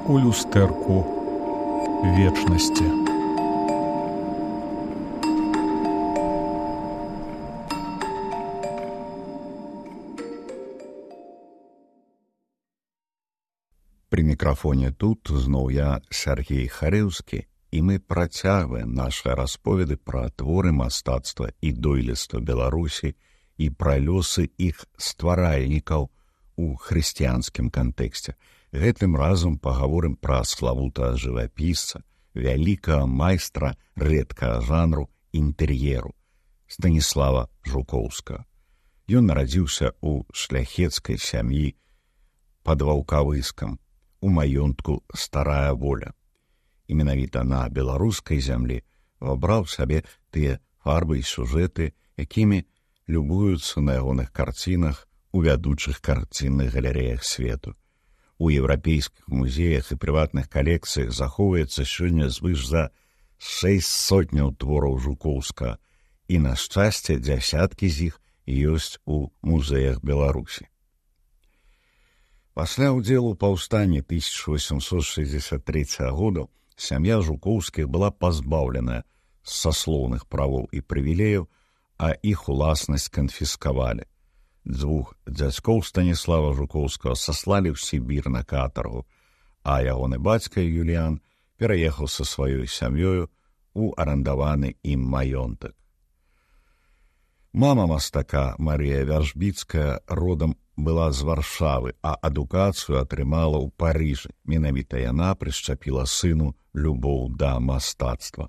у люстэрку вечнасці. Пры мікрафоне тут зноў я, Сергей Харэўскі, і мы працягваем нашы расповеды пра творы мастацтва і дойлідства Беларусі і пра лёсы іх стваральнікаў у хрысціянскім кантэксце. Гэтым разам пагаворым пра славутага жывапісца, вялікага майстра рэдкага жанру інтэр'еру Станіслава Жукоўскага. Ён нарадзіўся ў шляхецкай сям'і пад Ваўкавыскам, у маёнтку Старая Воля. І менавіта на беларускай зямлі вабраў сабе тыя фарбы і сюжэты, якімі любуюцца на ягоных карцінах у вядучых карцінных галерэях свету. У еўрапейскіх музеях і прыватных калекцыях захоўваецца сёння звыш за 600 твораў Жукоўскага, і, на шчасце, дзясяткі з іх ёсць у музеях Беларусі. Пасля ўдзелу ў паўстанні 1863 года сям'я Жукоўскіх была пазбаўленая саслоўных правоў і прывілеяў, а іх уласнасць канфіскавалі. Дзвюх дзядзькоў Станіслава Жукоўскага саслалі ў Сібір на катаргу, а ягоны бацька Юліян пераехаў са сваёй сям'ёю у арандаваны ім маёнтак. Мама мастака Марія Вяржбіцкая родам была з Варшавы, а адукацыю атрымала ў Парыжы. Менавіта яна прышчапіла сыну любоў да мастацтва.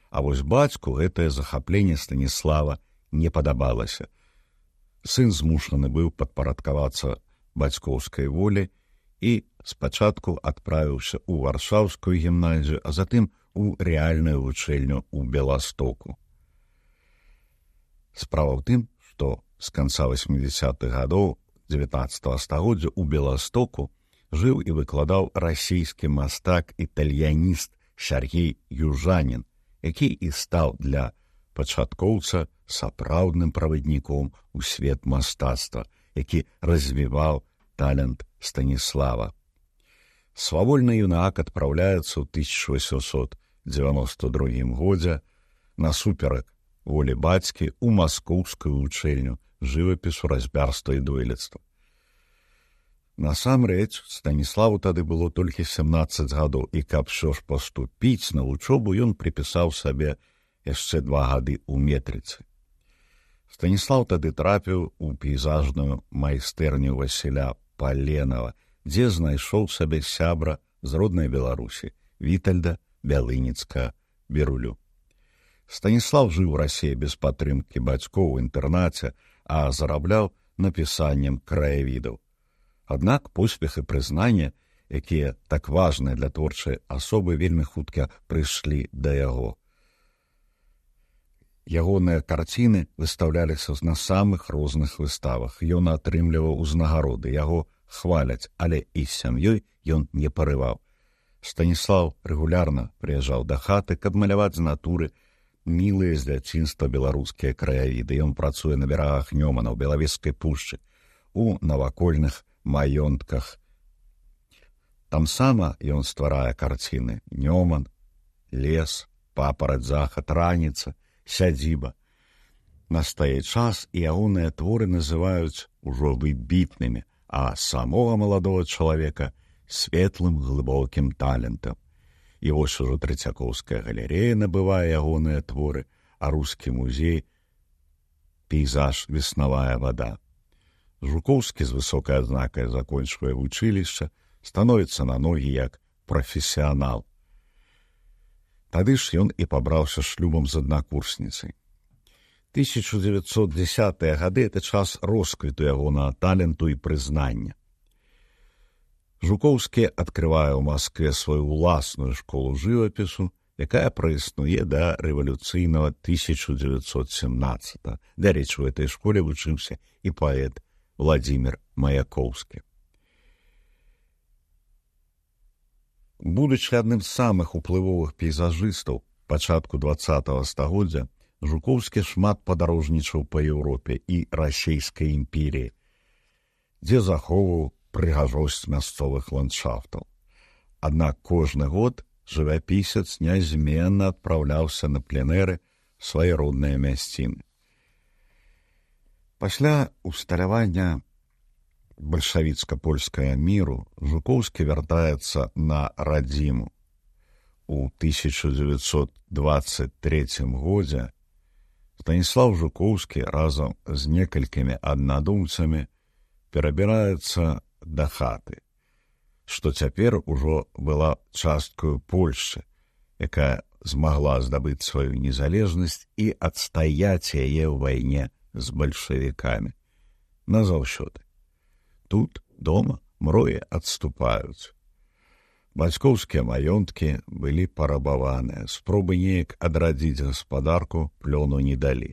А вось бацьку гэтае захапленне Станіслава не падабалася. Сын змушаны быў падпарадкавацца бацькоўскай волі і спачатку адправіўся ў варшаўскую гімназію, а затым у рэальную вучэльню ў Беластоку. Справа ў тым, што з канца 80-х гадоў 19-го стагоддзя ў Беластоку жыў і выкладаў расійскі мастак-італьяніст Сергей Южанін, які і стаў для пачаткоўца сапраўдным правадніком у свет мастацтва, які развіваў талент Станіслава. Свавольны юнак адпраўляецца ў 1892 годзе насуперак волі бацькі ў маскоўскую вучэльню жывапісу, разьбярства і дойлідства. Насамрэч, Станіславу тады было толькі 17 гадоў, і каб ўсё ж паступіць на вучобу, ён прыпісаў сабе яшчэ 2 гады ў метрыцы. Станіслав тады трапіў у пейзажную майстэрню Васіля Паленава, дзе знайшоў сабе сябра з роднай Беларусі, Вітальда Бялыніцка-Берулю. Станіслав жыў у Расіі без падтрымкі бацькоў у інтэрнаце, а зарабляў напісаннем краявідаў. Аднак поспех і прызнанне, якія так важныя для творчай асобы, вельмі хутка прыйшлі да яго. Ягоныя карціны выстаўляліся на самых розных выставах. Ён атрымліваў узнагароды, яго хваляць, але і з сям'ёй ён не парываў. Станіслав рэгулярна прыязджаў да хаты, каб маляваць з натуры мілыя з дзяцінства беларускія краявіды. Ён працуе на берагах Нёмана, ў Белавежскай пушчы, у навакольных маёнтках. Там сама ён стварае карціны: Нёман, лес, папараць, захад, раніца, сядзіба. Настае час, і ягоныя творы называюць ужо выбітнымі, а самога маладога чалавека светлым глыбокім талентам. І вось ужо Трэцякоўская галерэя набывае ягоныя творы, а рускі музей пейзаж «Веснавая вада». Жукоўскі з высокай адзнакай закончвае вучылішча, становіцца на ногі як прафесіянал. Тады ж ён і пабраўся шлюбам з аднакурсніцай. 1910-е гады – это час росквіту ягонага таленту і прызнання. Жукоўскі адкрывае ў Маскве сваю ўласную школу жывапісу, якая праіснуе да рэвалюцыйнага 1917-го. Дарэчы, у этой школе вучыўся і паэт Владзімір Маяковскі. Будучы адным з самых уплывовых пейзажыстаў пачатку 20-го стагоддзя, Жукоўскі шмат падарожнічаў па Еўропе і расійскай імперіі, дзе захоўваў прыгажосць мясцовых ландшафтаў. Аднак кожны год жывапісец нязменна адпраўляўся на пленэры свае родныя мясціны. Пасля усталявання бальшавіцка-польскага міру Жукоўскі вяртаецца на радзіму. У 1923 годзе Станіслаў Жукоўскі разам з некалькімі аднадумцамі перабіраецца да хаты, што цяпер ужо была часткаю Польшчы, якая змагла здабыць сваю незалежнасць і адстаяць яе ў вайне з бальшавікамі назаўсёды. Тут, дома, мроі адступаюць. Бацькоўскія маёнткі былі парабаваныя, спробы неяк адрадзіць гаспадарку плёну не далі.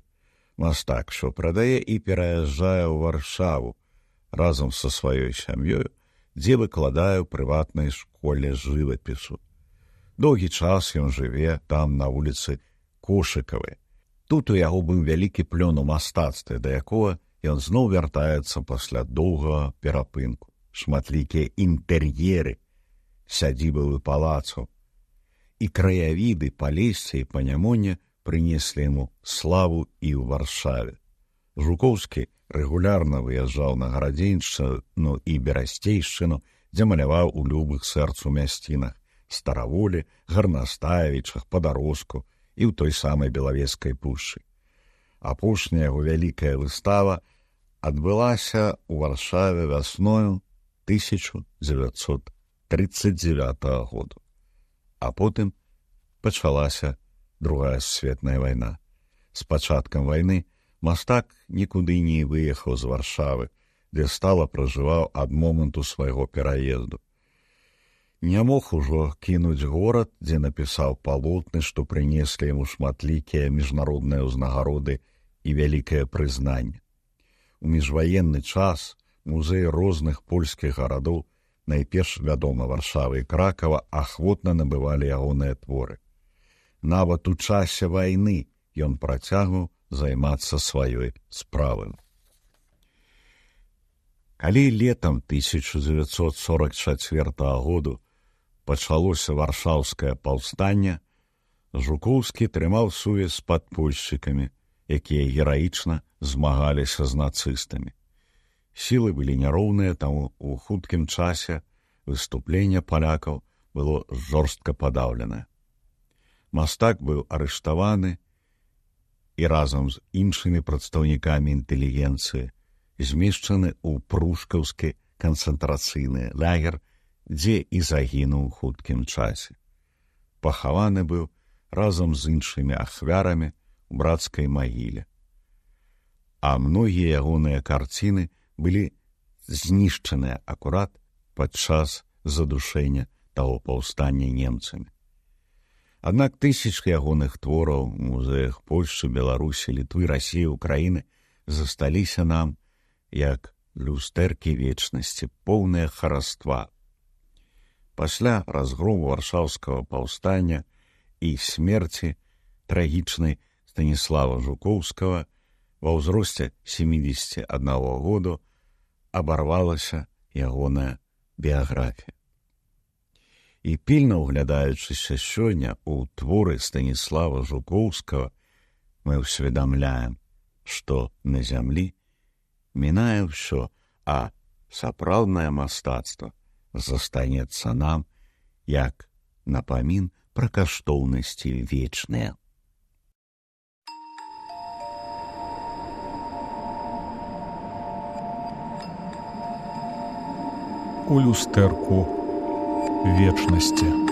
Мастак, што прадае і пераязджае ў Варшаву разам са сваёй сям'ёю, дзе выкладае ў прыватнай школе жывапісу. Доўгі час ён жыве там на вуліцы Кошыкавай. Тут у яго быў вялікі плён у мастацтве, да якога ён зноў вяртаецца пасля доўгага перапынку. Шматлікія інтэр'еры сядзібавы палацаў і краявіды Палесся і Панямоння прынеслі яму славу і ў Варшаве. Жукоўскі рэгулярна выязджаў на Гарадзеншчыну і Берасцейшчыну, дзе маляваў у любых сэрцу мясцінах Стараволі, Гарнастаевічах, Падарожку і ў той самай Белавежскай пушчы. Апошняя яго вялікая выстава адбылася ў Варшаве вясною 1939 году. А потым пачалася Другая сусветная вайна. З пачаткам вайны мастак нікуды не выехаў з Варшавы, дзе стала пражываў ад моманту свайго пераезду. Не мог ужо кінуць горад, дзе напісаў палотны, што прынеслі яму шматлікія міжнародныя ўзнагароды і вялікае прызнанне. У міжваенны час музеі розных польскіх гарадоў, найперш вядома Варшавы і Кракава, ахвотна набывалі ягоныя творы. Нават у часе вайны ён працягваў займацца сваёй справай. Калі летам 1944 году пачалося варшаўскае паўстанне, Жукоўскі трымаў сувязь з падпольшчыкамі, якія гераічна змагаліся з нацыстамі. Сілы былі няроўныя, таму ў хуткім часе выступленне палякаў было жорстка падаўленае. Мастак быў арыштаваны і разам з іншымі прадстаўнікамі інтэлігенцыі змешчаны ў прушкаўскі канцэнтрацыйны лагер, дзе і загінуў у хуткім часе. Пахаваны быў разам з іншымі ахвярамі у брацкай магіле. А многія ягоныя карціны былі знішчаныя акурат падчас задушэння таго паўстання немцамі. Аднак тысячы ягоных твораў у музеях Польшчы, Беларусі, Літвы, Расіі, Украіны засталіся нам як люстэркі вечнасці, поўныя хараства. Пасля разгрому варшаўскага паўстання і смерці трагічнай Станіслава Жукоўскага ва ўзросце 71 году абарвалася ягоная біяграфія. І пільна ўглядаючыся сёння ў творы Станіслава Жукоўскага, мы ўсведамляем, што на зямлі мінае ўсё, а сапраўднае мастацтва застанецца нам як напамін пра каштоўнасці вечныя. У люстэрку вечнасці.